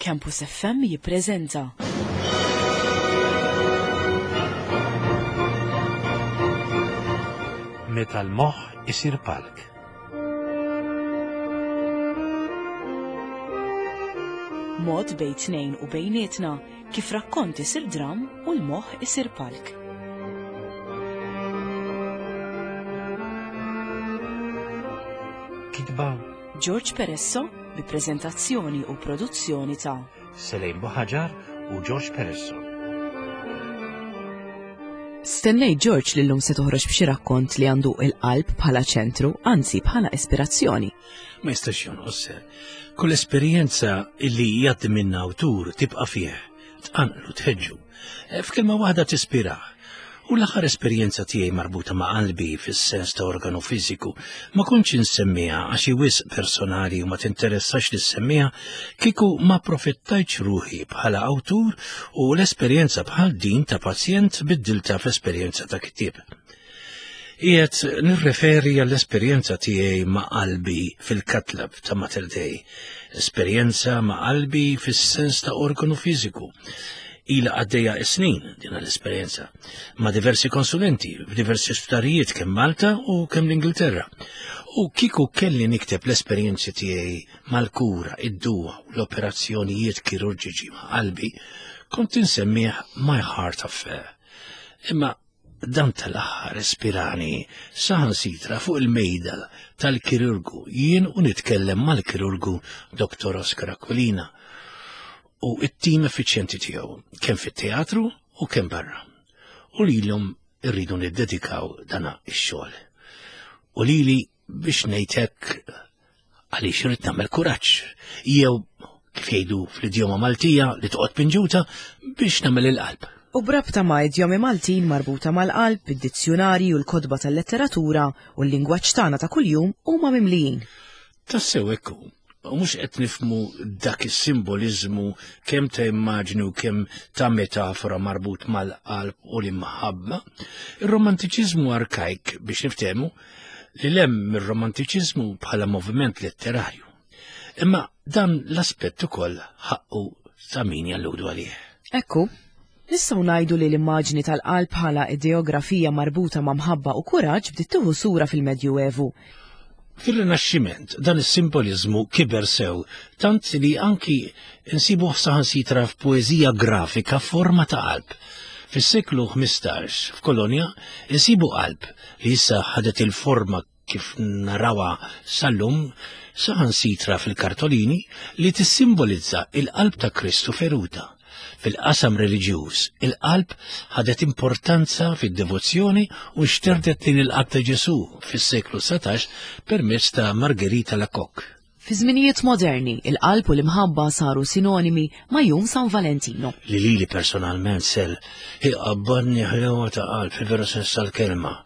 Campus FM jippreżenta. Meta l-moħħ isir palk. Mod bejn tnejn u bejnietna kif rakkont isir dram u l-moħħ isir palk. Kitba George Peresso bi preżentazzjoni u produzzjoni ta' Selejn Buħaġar u George Peresso. Stennejt George li llum se toħroġ b'xi rakkont li għandu il-qalb bħala ċentru, anzi bħala ispirazzjoni. Ma jistax jonqos. Kull esperjenza illi jgħaddi minna awtur tibqa' fih, tqanqlu tħeġġu. Eh, f'kelma waħda tispirah. U l-aħħar esperjenza tiegħi marbuta ma' qalbi fis-sens ta' organu fiżiku ma kontx insemmiha għax hi wisq personali u ma tinteressax li ssemmiha kieku ma profittajtx ruħi bħala awtur u l-esperjenza bħal din ta' pazjent biddilta f'esperjenza ta' kittieb. Qiegħed nirreferi għall-esperjenza tiegħi ma' qalbi fil-katlab ta' Mater Dei. Esperjenza ma' qalbi fis-sens ta' organu fiżiku. Ila għaddejja snin din l-esperjenza ma' diversi konsulenti f'diversi sptarijiet kemm Malta u kemm l-Ingilterra. U kieku kelli nikteb l-esperjenzi tiegħi mal-kura, id-duwa u l-operazzjonijiet kirurġiċi ma' qalbi, kont insemmih My Heart Affair. Imma Dan tal-aħħar ispirani saħansitra fuq il-mejda tal-kirurgu jien u nitkellem mal-kirurgu Dr. Oscar Aquilina u it-tim effiċjenti tiegħu kemm fit-teatru u kemm barra. U lilhom irridu niddedikaw dana ix-xogħol. U lili biex ngħid hekk għaliex irid nagħmel kuraġġ jew kif jgħidu fl-idjoma Maltija li toqgħod pinġuta biex nagħmel il-qalb. U b'rabta ma' idjomi Maltin marbuta mal-qalb, id-dizzjunarji u l-kotba tal-letteratura u l-lingwaġġ tagħna ta' kuljum huma mimlijin. Tassew hekk hu. U mhux qed nifhmu dak is-simboliżmu kemm ta' immaġni u kemm ta' metafora marbut mal-qalb u l-imħabba. Ir-romantiċiżmu arkajk biex niftehmu li lem mir-romantiċiżmu bħala moviment letterarju. Imma dan l-aspett ukoll ħaqqu ta' min jalludu għalih. Ekku, nistgħu ngħidu li l-immaġni tal-qalb bħala ideografija marbuta ma' mħabba u kuraġġ bdiet tieħu sura fil-Medjuevu. Fir-Rinaxximent dan is-simboliżmu kiber sew tant li anki nsibuh saħansitra f'poeżija grafika forma ta' qalb. Fis-seklu 15 f'Kolonja insibu qalb li issa ħadet il-forma kif narawha sal-lum saħansitra fil-kartolini li tissimbolizza il-qalb ta' Kristu feruta. Fil-qasam reliġjuż, il-qalb ħadet importanza fid-devozzjoni u xterdet lejn il-qalb ta' Ġesù fis-seklu 19 permezz ta' Margherita Lacoque. Fi żminijiet moderni, il-qalb u l-imħabba saru sinonimi ma' Jum San Valentino. Li lili personalment sel iqabbadni ħlewa ta' qalb fil-veru sens tal-kelma.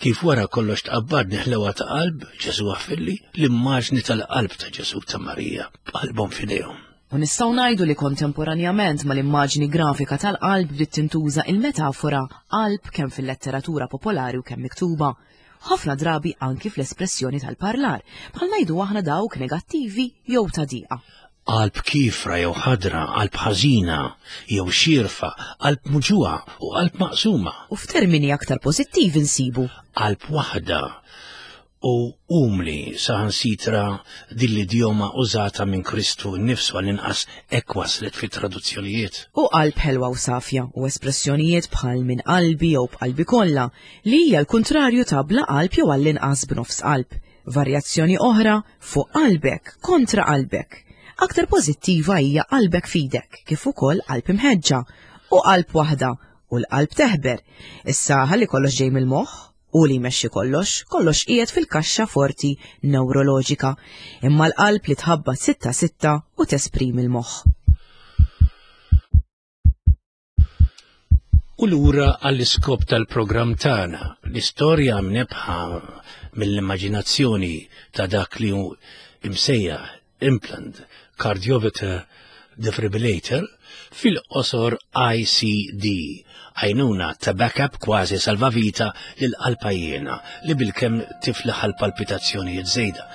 Kif wara kollox tqabbadni ħlewa ta' qalb, Ġesù aħfirli, l-immaġni tal-qalb ta' Ġesù ta' Marija b'qalbhom f'idejhom. U nistgħu ngħidu li kontemporanjament mal-immaġni grafika tal-qalb bdiet tintuża il-metafora qalb kemm fil-letteratura popolari u kemm miktuba. Ħafna drabi anki fl-espressjoni tal-parlar, bħal ngħidu aħna dawk negattivi jew ta' diqa. Qalb kiefra jew ħadra, qalb ħażina jew xierfa, qalb muġugħa u qalb maqsuma. U f'termini aktar pożittivi nsibu. Qalb waħda u umli saħansitra din l-idjoma użata minn Kristu nnifsu għall-inqas hekk waslet fit-traduzzjonijiet. U qalb ħelwa u safja u espressjonijiet bħal minn qalbi jew b'qalbi kollha li hija l-kuntrarju ta' bla qalb jew għall-inqas b'nofs qalb. Varjazzjoni oħra, fuq qalbek, kontra qalbek. Aktar pożittiva hija qalbek f'idek, kif ukoll qalb imħeġġa, u qalb waħda, u l-qalb teħber. Issa ħalli kollox ġej mill-moħħ, hu li jmexxi kollox, kollox qiegħed fil-kaxxa forti newroloġika, imma l-qalb li tħabbat sitta sitta u tesprimi l-moħħ. U lura għall-iskop tal-programm tagħna, l-istorja mnebbħa mill-immaġinazzjoni ta' dak li hu imsejjaħ implant cardioverter. defibrillator, fil-qosor ICD, għajnuna ta' backup kważi salvavita lil qalpajjena li bilkemm tiflaħ għal palpitazzjonijiet żejda.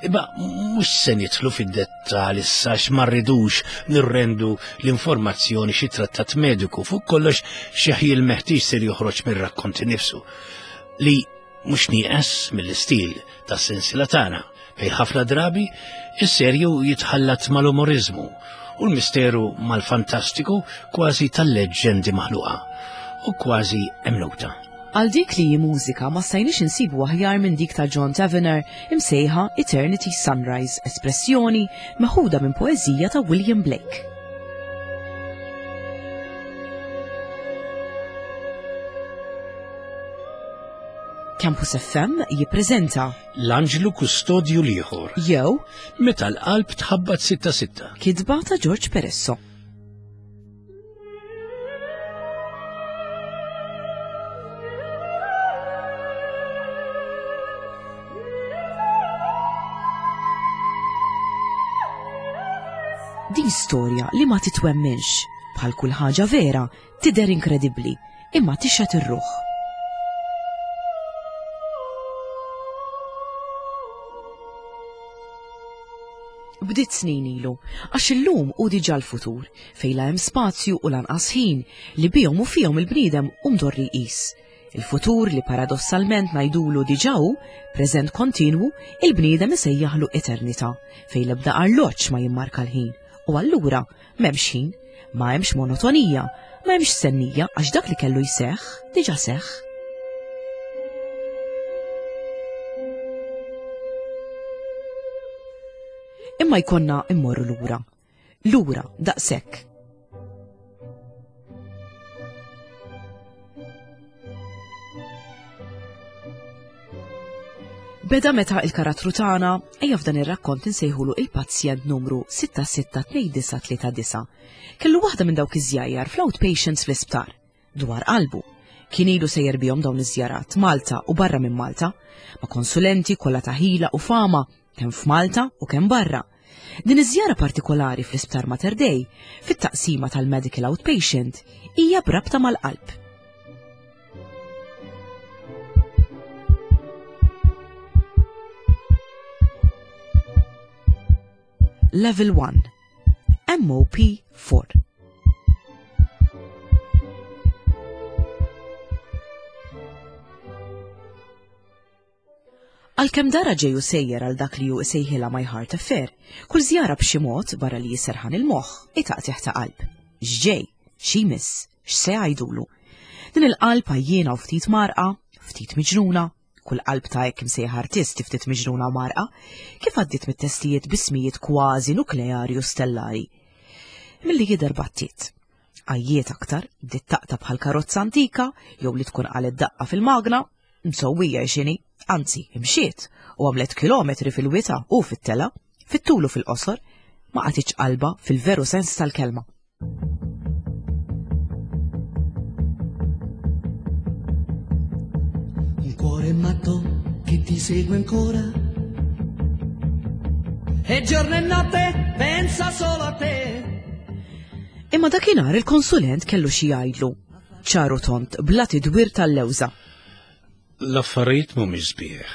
Imma mhux se nidħlu fid-dettall issa ma rridux nirrendu l-informazzjoni xi trattat mediku fuq kollox xi ħjiel meħtieġ ser joħroġ mir-rakkont nifsu li mhux nieqes mill-istil tas-sensiela tagħna fejn ħafna drabi is-serju jitħallat mal-umoriżmu u l-misteru mal-fantastiku kważi tal-leġġendi maħluqa u kważi emnuta. Għal dik li hi mużika ma stajniex insibu aħjar minn dik ta' John Tavener imsejħa Eternity Sunrise, espressjoni meħuda minn poeżija ta' William Blake. Campus FM jippreżenta L-Anġlu Kustodju l-Ieħor. Jew Meta l-qalb tħabbat 6-6. Kitba ta' George Peresso. Din storja li ma titwemminx, bħal kull ħaġa vera, tidher inkredibbli, imma tixgħet ir-ruħ. Bdiet snin ilu, għax illum hu diġà l-futur, fejn la hemm spazju u lanqas ħin li bihom u fihom il-bniedem hu mdorri jqis. Il-futur li paradossalment ngħidulu diġà hu, preżent kontinwu, il-bniedem isejjaħlu eternità, fejn l-ebda arloġġ ma jimmarka l-ħin. U allura m'hemmx ħin, ma hemmx monotonija, ma hemmx stennija għax dak li kellu jseħħ diġà seħħ. Imma jkollna immorru lura. Lura, daqshekk. Beda meta il-karattru tagħna ejja f'dan ir-rakkont insejħulu il-pazjent numru 662939. Kellu waħda minn dawk iż-żjajjar fl-outpatients fl-isptar dwar qalbu. Kien ilu sejjer bihom dawn iż-żjarat Malta u barra minn Malta, ma' konsulenti kollha ta' ħila u fama kemm f'Malta u kemm barra. Din iż-żjara partikolari fl-Isptar Mater Dei, fit-taqsima tal-Medical Outpatient, hija b'rabta mal-qalb. Level 1 MOP 4 Għalkemm dara ġej u sejjer għal dak li hu isejħilha my heart affair, kull żjara b'xi mod barra li jisserħan il-moħħ, hi taqtigħ ta' qalb. X'ġej? X'jmiss? X'se jgħidulu? Din il-qalb għajjiena u ftit mgħarrqa, ftit miġnuna, kull qalb ta' hekk imsejjaħ artist ftit miġnuna u mgħarrqa, kif għaddiet mit-testijiet b'ismijiet kważi nukleari u stellari. Milli jidher battiet. Għajjiet aktar, bdiet taqta' bħal karozza antika jew li tkun qalet daqqa fil-magna, Msewwija x'inhi, anzi, imxiet u għamlet kilometri fil-wita u fit-tela, fit-tul u fil-qosor, ma qatitx qalbha fil-veru sens tal-kelma. Un cuore matto che ti segue ancora E giorno e notte pensa solo a te. Imma dakinhar il-konsulent kellu xi jgħidlu. Ċar u tond, bla tidwir tal-lewża. L-affarijiet mhumiex sbieħ.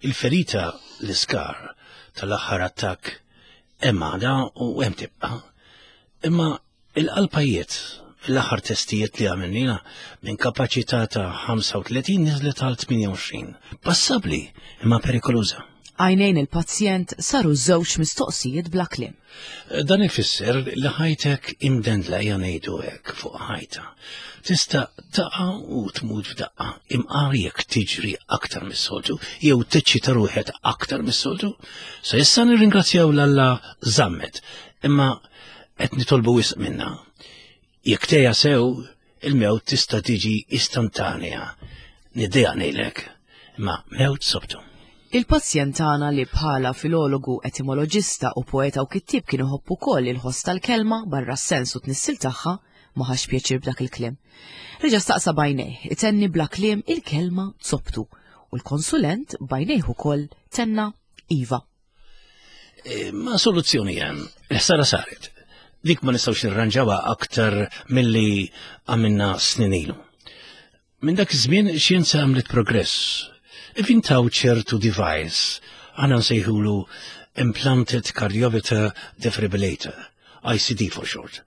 Il-ferita, l-iskar tal-aħħar attakk hemm għadha u hemm tibqa'. Imma il-qalpajiet l-aħħar testijiet li għamilnina minn kapaċità ta' 35 niżlet għal 28. Passabbli imma perikoluża. Għajnejn il-pazjent saru żewġ mistoqsijiet bla kliem. Dan ifisser li ħajtek imdendla ejja ngħidu hekk fuq ħajta. Tista' taqa' u tmut f'daqqa, imqar jekk tiġri aktar mis-soltu jew teċċita ruħek aktar mis-soltu. Sa issa nirringrazzjaw l-Alla żammet, imma qed nitolbu wisq minna. Jekk tgħejja sew, il-mewt tista' tiġi istantanea. Niddejjaq ngħidlek, imma mewt sobtu. Il-pazjent tagħna li bħala filologu, etimoloġista u poeta u kittieb kien iħobb ukoll il-ħoss tal-kelma barra s-sens u t-tnissil tagħha, ma ħax pjaċir b'dak il-kliem. Reġa' staqsa b'għajnejh, itenni bla kliem il-kelma zobtu, u l-konsulent b'għajnejh ukoll tenna iva. Ma soluzzjoni hemm, il-ħsara saret. Dik ma nistgħux nirranġawha aktar milli għamilna snin ilu. Minn dak iż-żmien xjenza għamlet progress. Ivintaw ċertu device, aħna nsejħulu Implanted Cardioverter Defibrillator, ICD for short.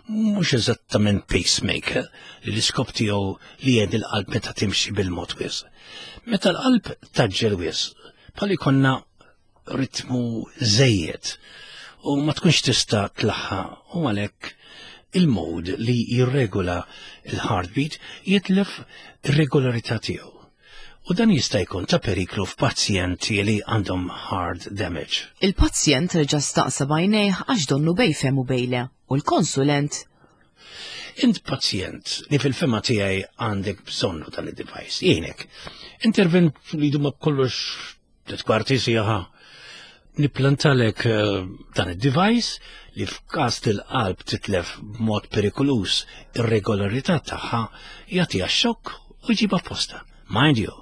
Mhux eżattament pacemaker li l-iskop tiegħu li jgħid il-qalb meta timxi bil-mod wisq. Meta l-qalb taġġel wisq, bħal ikonna ritmu żejjed u ma tkunx tista' tlaħħa u għalhekk il-mod li jirregola il-heartbeat jitlef ir-regolarità tiegħu. U dan jista' jkun ta' periklu f'pazjenti li għandhom heart damage. Il-pazjent reġa' staqsa b'għajnejh għax donnu bej fehem u bej le, u l-konsulent Int pazjent li fil-fema tiegħi għandek bżonnu dan id-device, jgħinek. Intervent li jduma kollox Tliet kwarti siegħa nipplantalek eh, dan id-device li f'każ til-qalb titlef b'mod perikolus ir-regolarità tagħha jagħtiha xokk u jġibha posta. Mind you,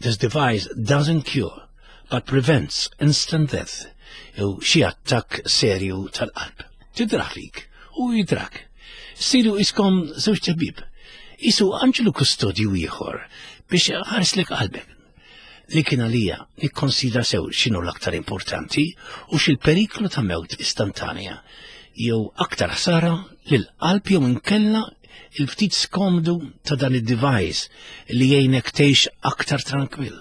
this device doesn't cure, but prevents instant death jew xi attakk serju tal-qalb. Tidrah fik u jidrak. Siru iskom żewġ tabib. Isu anġlu kustodju ieħor biex ħarslek qalbek. Li kien għalija nikkonsidra sew x'inhu l-aktar importanti u x'il-periklu ta' mewt istantanja jew aktar ħsara lil qalb jew inkella il-ftit skomdu ta' dan id-device li jgħinek tgħix aktar trankwill.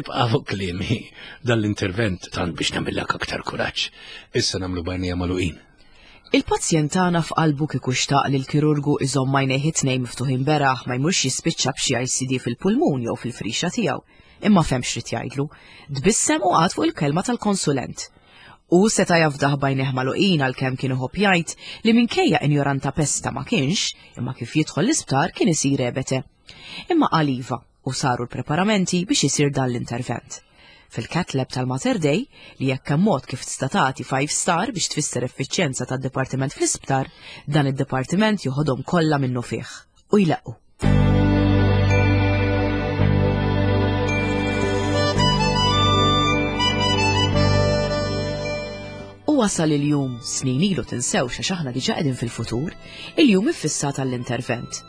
Ibqa' fuq kliemi dan l-intervent tant biex nagħmillek aktar kuraġġ. Issa nagħmlu bajnija magħluqin. Il-pazjent tagħna f'qalbu kieku xtaq li l-kirurgu iżomm għajnejh it-tnejn miftuħin beraħ ma jmurx jispiċċa b'xi ICD fil-pulmun jew fil-frixa tiegħu. Imma fehem x'ried jgħidlu. Tbissem u qagħad fuq il-kelma tal-konsulent. Hu seta' jafdah b'għajnejh magħluqin għalkemm kien iħobb jgħid li minkejja injoranta pesta ma kienx, imma kif jidħol l-isptar kien isir ebete. Imma qal iva u saru l-preparamenti biex isir dan l-intervent. Fil-Cath Lab tal-Mater Dei, li jekk hemm mod kif tista' tagħti 5 star biex tfisser effiċjenza tad-dipartiment fl-isptar, dan id-dipartiment joħodhom kollha minnufih u jleqqu. U wasal il-jum, snin ilu tinsewx għax aħna diġà qegħdin fil-futur, il-jum iffissat għall-intervent.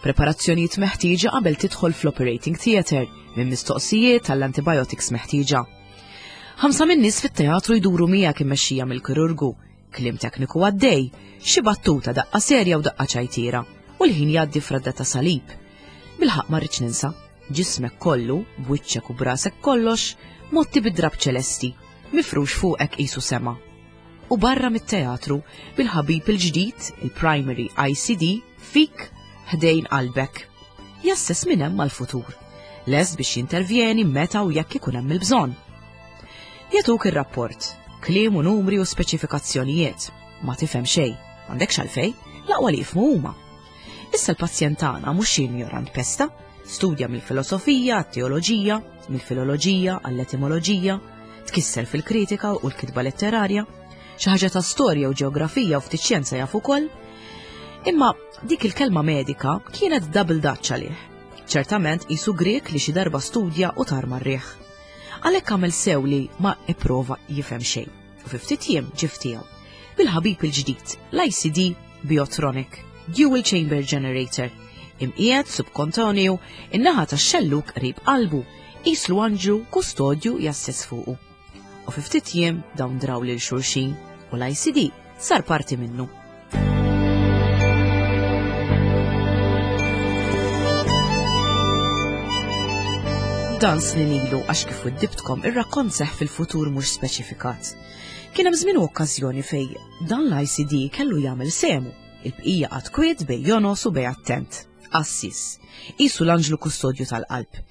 Preparazzjonijiet meħtieġa qabel tidħol fl-operating theatre minn mistoqsijiet għall-antibiotics meħtieġa. Ħamsa minn nies fit-teatru jduru miegħek immexxija mill-kirurgu, kliem tekniku għaddej, xi battuta daqqa serja u daqqa ċajtiera, u l-ħin jgħaddi f'radda ta' salib. Bilħaqq ma rridx ninsa, ġismek kollu, b'wiċċek u b'rasek kollox, motti bid-drab ċelesti, mifrux fuqek qisu sema. U barra mit-teatru bil-ħabib il-ġdid, il-Primary ICD, fik ħdejn qalbek. Jassess minn hemm għall-futur. Lest biex jintervjeni meta u jekk ikun hemm il-bżonn. Jagħtuk ir-rapport, kliem u numri u speċifikazzjonijiet. Ma tifhem xejn, m'għandekx għalfejn, l-aqwa li jifhmu huma. Issa l-pazjent tagħna mhux xi injorant pesta, studja mill-filosofija għat-teoloġija, mill-filoloġija għall-etimoloġija, tkisser fil-kritika u l-kitba letterarja, xi ħaġa ta' storja u ġeografija u ftit xjenza jaf ukoll. Imma dik il-kelma medika kienet double dutch għalih. Ċertament qisu Grieg li xi darba studja u tar mar-riħ. Għalhekk għamel sew li ma ipprova jifhem xejn. U fi ftit jiem ġie f'tiegħu. Bil-ħabib il-ġdid, l-ICD Biotronic, Dual Chamber Generator, imqiegħed subkontonju in-naħa tax-xellug qrib qalbu, qislu anġlu kustodju jasses fuqu. U fi ftit jiem dawn draw lil xulxin u l-ICD sar parti minnu. Dan snin ilu għax kif widdibtkom ir-rakkont seħ fil-futur mhux speċifikat. Kien hemm żmien u okkażjoni fej dan l-ICD kellu jagħmel sehmu, il-bqija qagħad kwiet bej jonos u bej attent. Qassis. Qisu l-anġlu kustodju tal-qalb.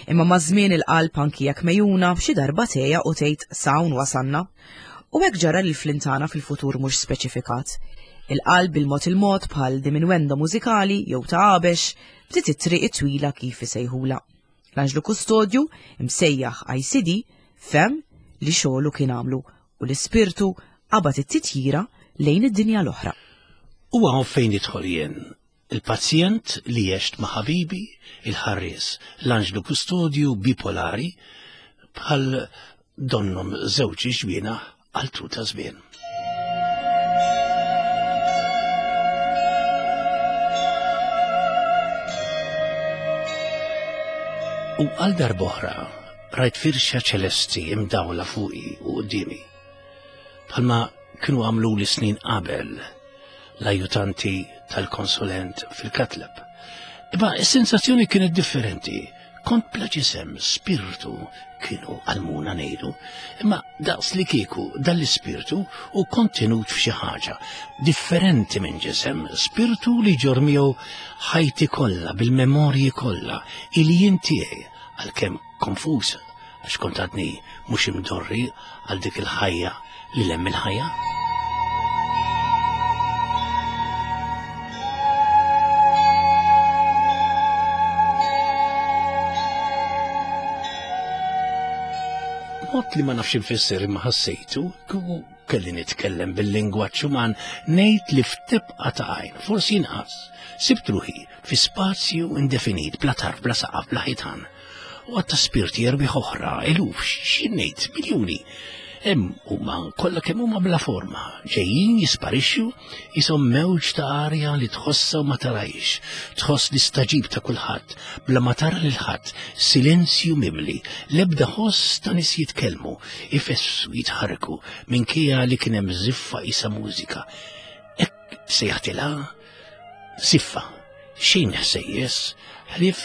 Imma maż-żmien il-qalb anki jekk mejuna xi darba tgħejja u tgħid s'hawn wasalna. U hekk ġara lil Flintana fil-futur mhux speċifikat. Il-qalb bil-mod il-mod bħal diminuendo mużikali jew ta' għabex bdiet it-triq it-twila kif isejħulha. L-anġlu kustodju, imsejjaħ ICD, fehem li xogħlu kien għamlu u l-ispirtu qabad it-titjira lejn id-dinja l-oħra. U hawn fejn nidħol jien, il-pazjent li għext ma' ħabibi, il-ħarries, l-anġlu kustodju bipolari, bħal donnhom żewġ ġwienaħ għal tul ta' żmien. U għal darb'oħra rajt firxa ċelesti imdawla fuqi u quddiemi. Bħalma kienu għamlu li snin qabel l-ajutanti tal-konsulent fil-katlab. Imma s-sensazzjoni kienet differenti. Kont bla ġisem, spirtu kienu għalmuna ngħidu, imma daqs li kieku dal-ispirtu u kontenut f'xi ħaġa differenti minn ġisem, spirtu li ġor miegħu ħajti kollha bil-memorji kollha, il-jien tiegħi għalkemm konfuż għax kont għadni mhux imdorri għal dik il-ħajja li lemm il-ħajja. Mod li ma nafx infisser imma ħassejtu, kieku kelli nitkellem bil-lingwaġġ uman ngħid li f'tebqa ta' għajn, forsi inqas, sibt ruħi fi spazju indefinit, bla tarf, bla saqaf, bla ħitan. U għatta spirti erbiħ oħra, eluf, x'ngħid, miljuni. Hemm huma kollha kemm huma bla forma, ġejjin jisparixxu jisom mewġ ta' arja li tħossa u ma tarajx, tħoss l-istaġib ta' kulħadd, bla ma tara lil ħadd, silenzju mimli, l-ebda ħoss ta' nies jitkellmu, ifessu, jitħarrku, minkejja li kien hemm żiffa isa mużika. Hekk sejħtilha siffa, xejn ħsejjes, ħlief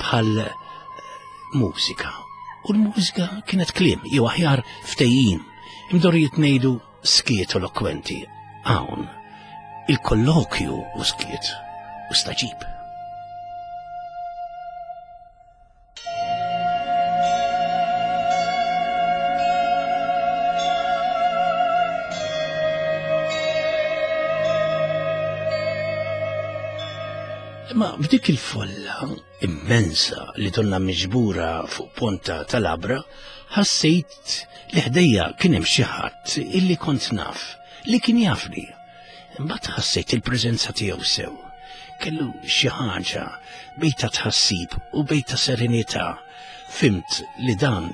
bħal eh, mużika. U l-mużika kienet kliem, jew aħjar ftejjim, imdorrijiet ngħidu skiet elokwenti. Hawn, il-kollokju u skiet u staġib. Imma f'dik il-folla immensa li donna miġbura fuq ponta tal-abra, ħassejt li ħdejja kien hemm xi ħadd illi kont naf, li kien jafni. Imbagħad ħassejt il-preżenza tiegħu sew. Kellu xi ħaġa bejn ta' tħassib u bejn ta' serenità. Fimt li dan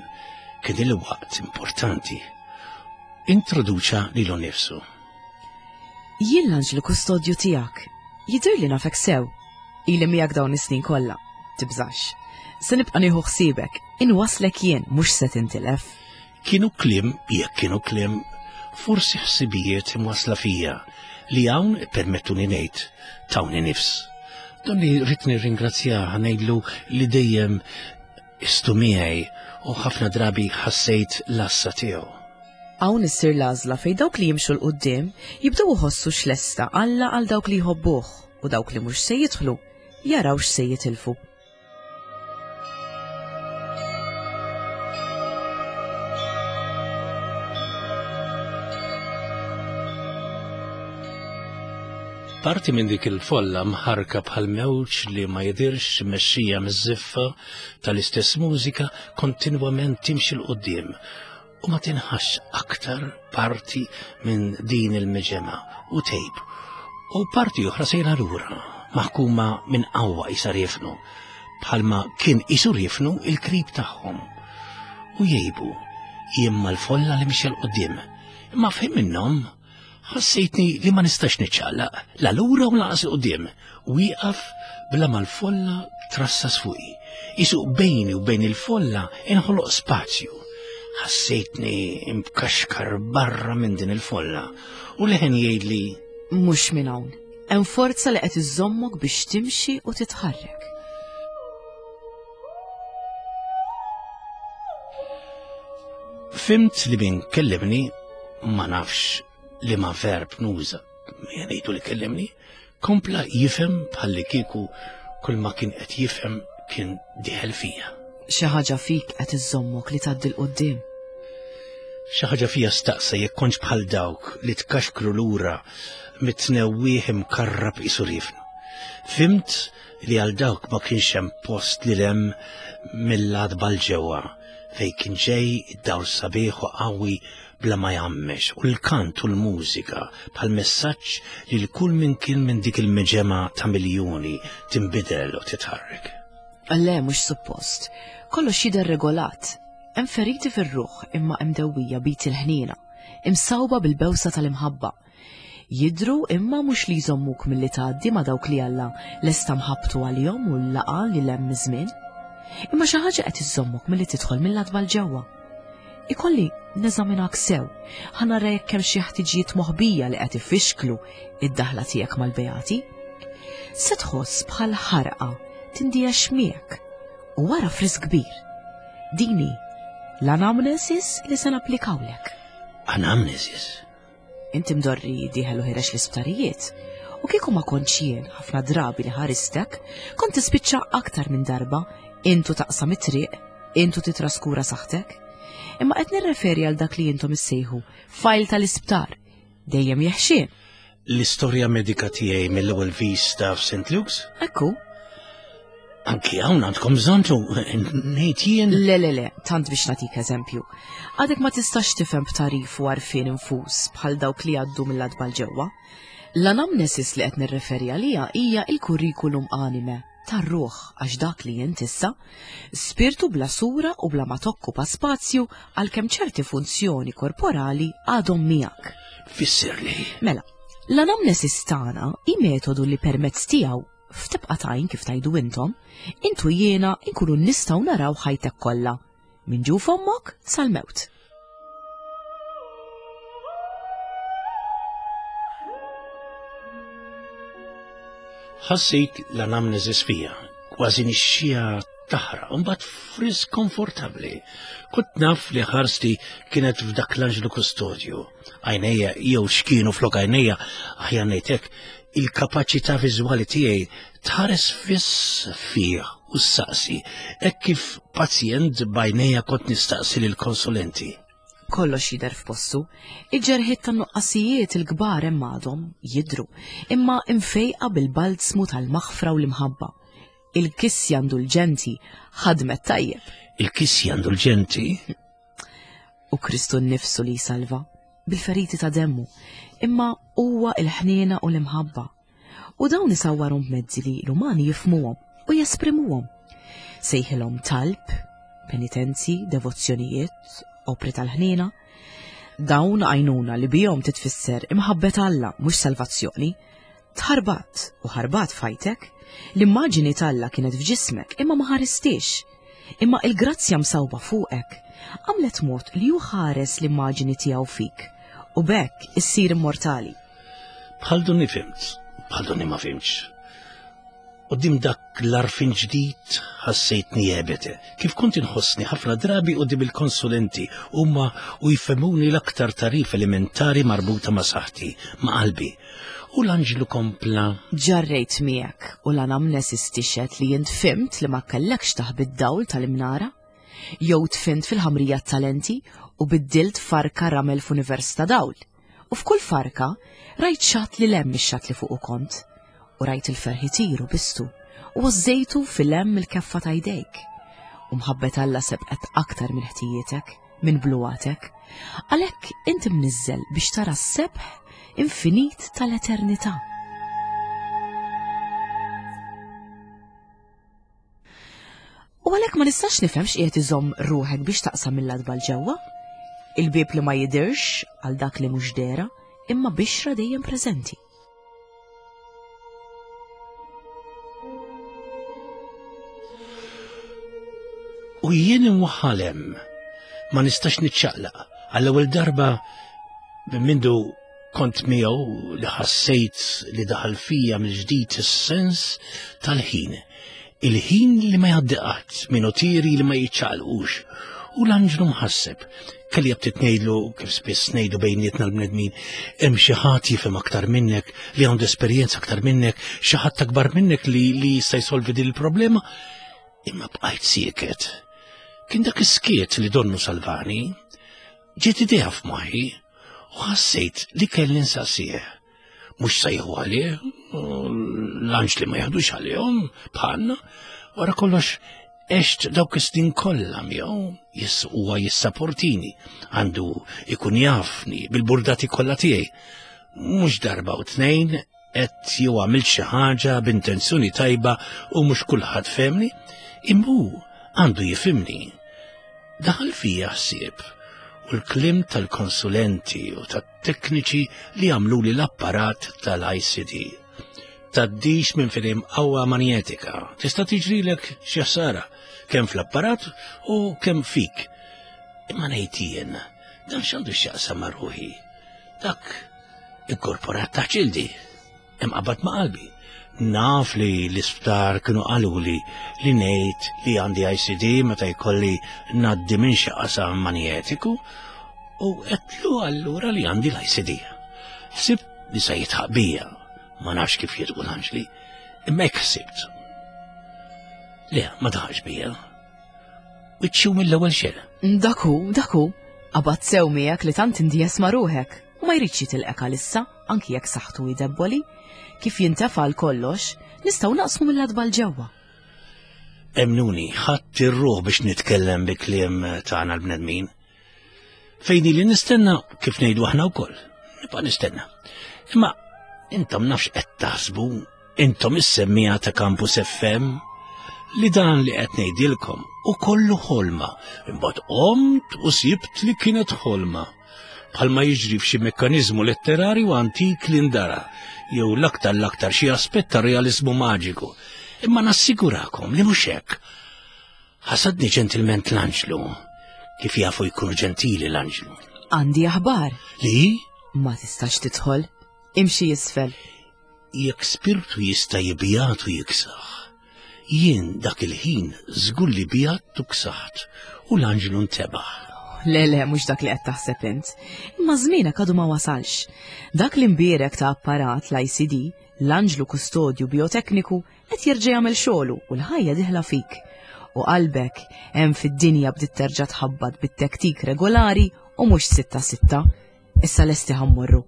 kien il-waqt importanti. Introduċa lilu nnifsu. Jien l-anġlu kustodju tiegħek. Jidhirli li nafek sew. Ili miegħek dawn is-snin kollha. Tibżax. Se nibqa' nieħu ħsiebek. Inwaslek jien mhux se tintilef. Kienu kliem, jekk kienu kliem, forsi ħsibijiet imwassla fija li hawn, ippermettuni ngħid, tawni nifs. Donni rrid nirringrazzjah ngħidlu li dejjem istu miegħi u ħafna drabi ħassejt l-għassa tiegħu. Hawn issir l-għażla fejn dawk li jimxu 'l quddiem jibdew iħossu x'lesta Alla għal dawk li jħobbuh u dawk li mhux se jidħlu jaraw x'se jitilfu. Parti minn dik il-folla mħarka bħal mewġ li ma jidirx mexxija miż-żiffa tal-istess mużika kontinwament timxi 'l quddiem u ma tinħass aktar parti minn din il-miġemgħa u tejb. U parti oħra sejra lura, maħkuma minn qawwa isa riefnu, bħalma kien isu riefnu il-krib tagħhom. U jgħibu, jien mal-folla li mixja l-qudiem, imma f'ħin minnhom Ħassejtni li ma nistax niċċaqlaq, la lura u lanqas quddiem, wieqaf bla ma l-folla trassas fuqi. Isu bejni u bejn il-folla inħoloq spazju. Ħassejtni imkaxkar barra minn din il-folla u leħen jgħidli Mhux minn hawn. Hemm forza li qed iżommok biex timxi u titħarrek. Fimt li min kellimni ma nafx li ma verb nuża. Ngħidu li kellimni, kompla jifhem bħalli kieku kull ma kien qed jifhem kien diħel fija. Xi ħaġa fik qed iżommok li tgħaddi 'l quddiem. Xi ħaġa fija staqsa jekk kontx bħal dawk li tkaxkru lura mit-tnewwieħ imkarrab qisu riefnu. Fimt li għal dawk ma kienx hemm post lil hemm mill-għatba 'l ġewwa fejn kien ġej id-dawl sabiħ u qawwi bla ma jgħammex u l-kant u l-mużika bħal messaġġ lil kull min kien minn dik il-miġemgħa ta' miljuni tinbidel u titħarrek. Le, mhux suppost. Kollox jidher regolat. Hemm feriti fir-ruħ imma imdewwija b'id il-ħniena, imsawba bil-bewsa tal-imħabba. Jidhru imma mhux li jżommuk milli tgħaddi ma' dawk li Alla lesta mħabbtu għalihom u l-laqgħa lil hemm miż-żmien. Imma xi ħaġa qed iżżommok milli tidħol mill-adba 'l ġewwa. Ikolli neżaminak sew, ħa nara jekk hemm xi ħtiġijiet moħbija li qed ifixklu id-daħla tiegħek mal-beati. Se tħoss bħal ħarqa tindiex miegħek u wara frisk kbir. Din hi l-anamnesis li se napplikawlek. Anamnesis? Inti mdorri dieħel u ħirex l-isptarijiet. U kieku ma kontx jien ħafna drabi li ħaristek, kont tispiċċa aktar minn darba intu taqsam it-triq, intu titraskura saħtek. Imma qed nirreferi għal dak li intom issejħu fajl tal-isptar, dejjem jeħxien. L-istorja medika tiegħi mill-ewwel vista f'St. Luke's? Ekku. Anki hawn għandkom bżonn ngħid jien. Le, le, le, tant biex nagħtik eżempju. Għadek ma tistax tifhem b'tarif u għarfien infus bħal dawk li għaddu mill-adba ġewwa. L-anamnesis li qed nirreferi għaliha hija il-kurrikulum anime tar-ruħ għax dak li jint issa, spirtu bla sura u bla ma tokkupa spazju għalkemm ċerti funzjoni korporali għadhom miegħek. Fissirli. Mela, l-anamnesis tagħna hi metodu li permezz tiegħu f'tibqa' tajn kif tajdu intom, intu jiena nkunu nistgħu naraw ħajtek kollha, minn ġuf ommok sal-mewt. Ħassejt l-anamnesis fija, kważi nixxija taħraq, u mbagħad frisk komfortabbli. Kont naf li ħarsti kienet f'dak l-anġlu kustodju. Għajnejja jew x'kienu flok għajnejja, aħjar ngħidlek, il-kapaċità viżwali tiegħi tħares fiss fih u ssaqsi, hekk kif pazjent b'għajnejja kont nistaqsi lill-konsulenti. Kollox jidher f'postu. Il-ġerħiet tan-nuqqasijiet il-kbar hemm għadhom jidhru, imma imfejqa bil-balzmu tal-maħfra u l-imħabba. Il-kisja indulġenti ħadmet tajjeb. Il-kisja indulġenti? U Kristu nnifsu li jsalva, bil-feriti ta' demmu, imma huwa il-ħniena u l-imħabba. U dawn isawwarhom b'mezzi li l-umani jifhmuhom u jesprimuhom. Sejħilhom talb, penitenzi, devozzjonijiet, opri tal-ħniena. Dawn għajnuna li bihom titfisser imħabbet Alla mhux salvazzjoni. Tħarbat u ħarbat f'ħajtek, l-immaġini t'Alla kienet f'ġismek imma ma ħaristiex. Imma il-grazzja msawba fuqek għamlet mod li hu ħares l-immaġini tiegħu fik u b'hekk issir immortali. Bħal donni fimt, bħal donni ma fimtx. Qudiem dak l-arfin ġdid ħassejtni ebete, kif kont inħossni ħafna drabi qudiem il-konsulenti huma u jfehmuni l-aktar tagħrif elementari marbuta ma' saħħti, ma' qalbi. U l-anġlu kompla. Ġarrejt miegħek u l-anamnesis tixhed li int fhimt li ma kellekx taħbi d-dawl tal-imnara, jew tfint fil-ħamrija t-talenti u biddilt farka ramel f'univers ta' dawl. U f'kull farka rajt xatt li lemm ix-xatt li fuqu kont, u rajt il-ferħ itir u bistu, u għożżejtu fil-hemm il-keffa ta' jdejk. U mħabbet Alla sebqet aktar minn ħtijietek, minn bluwatek. Għalhekk inti mniżżel biex tara s-sebħ infinit tal-eternità. U għalhekk ma nistax nifhem x'qiegħed iżomm ruħek biex taqsam mill-adba 'l ġewwa. Il-bieb li ma jidhirx għal dak li mhux dehra, imma bixra dejjem preżenti. U jien imwaħħal hemm, ma nistax niċċaqlaq. Għall-ewwel darba minn mindu Kont miegħu li ħassejt li daħal fija mill-ġdid is-sens tal-ħin. Il-ħin li ma jgħaddi qatt, minutieri li ma jiċċaqalqux. U l-anġlu mħasseb. Kelli jabtit ngħidlu kif spiss ngħidu bejnietna l-bnedmin, hemm xi ħadd jifhem aktar minnek, li għandu esperjenza aktar minnek, xi ħadd akbar minnek li li jista' jsolvi din il-problema. Imma bqajt sieket. Kien dak is-skiet li donnu salvani. Ġiet idea f'moħħi u ħassejt li kelli nsaqsih. Mhux se jieħu għalih, l-anġli ma jaħdux għalihom bħalna, wara kollox għext dawk is-snin kollha miegħu jis huwa jissaportini, għandu ikun jafni bil-burdati kollha tiegħi. Mhux darba u tnejn qed jew għamilt xi ħaġa b'intenzjoni tajba u mhux kulħadd fehmni, imma hu għandu jifhimni. Daħal fija ħsieb u l-kliem tal-konsulenti u tat-tekniċi li għamluli l-apparat tal-ICD. Tgħaddix minn fejn hemm qawwa manjetika, tista' tiġrilek xi ħsara. kemm fl-apparat u kemm fik. Imma ngħid jien, dan x'għandu x'jaqsam ma' ruħi? Dak inkorporat ta' ġildi, imqabad ma' qalbi. Naf li l-isptar kienu qaluli li ngħid li għandi ICD meta jkolli ngħaddi minn xi qasam manjetiku u għedtlu allura li għandi l-ICD. Ħsibt li se jitħaq bija, ma nafx kif jidqu l-anġli, imma hekk ħsibt. Le, ma daħax bija. Wiċċu mill-ewwel xejn. Dak hu, dak hu. Qabad sew miegħek li tant indies ma' ruħek u ma jridx jitilqek għalissa, anki jekk saħħtu hi debboli. Kif jintefa' għal kollox, nistgħu naqsmu mill-adba 'l ġewwa. Emnuni, ħadd ir-ruħ biex nitkellem bi kliem tagħna l-bnedmin. Fejn li nistenna kif ngħidu aħna wkoll. Nibqa' nistenna. Imma intom nafx qed taħsbu, intom is-semmija ta' Campus FM li dan li qed ngħidilkom u kollu ħolma. Imbagħad qomt u sibt li kienet ħolma. Bħalma jiġri f'xi mekkaniżmu letterarju antik li ndara, jew l-aktar l-aktar xi aspett ta' realizmu maġiku. Imma nassigurakom li mhux hekk. Ħasadni ġentilment l-anġlu. Kif jafu jkunu ġentili l-anġlu? Għandi aħbar. Li? Ma tistax tidħol. Imxi isfel. Jekk spirtu jista' jibjat u jiksaħ. Jien dak il-ħin żgur li bjat u ksaħt u l-anġlu ntebaħ. Le, le, mhux dak li qed taħseb int. Imma żmienek għadu ma wasalx. Dak l-imbierek ta' apparat l-ICD, l-anġlu kustodju biotekniku, Qed jerġa' jagħmel xogħlu u l-ħajja dieħla fik. U qalbek hemm fid-dinja bdiet terġa' tħabbat bit-tektik regolari u mhux sitta sitta. Issa lesti ħa mmorru.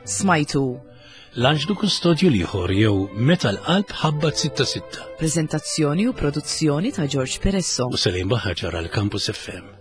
Smajtu. L-anġlu kustodju l-ieħor jew Meta l-qalb ħabbat sitta sitta. Preżentazzjoni u produzzjoni ta' George Peresso. U Selim Baħar ġara l-Campus FM.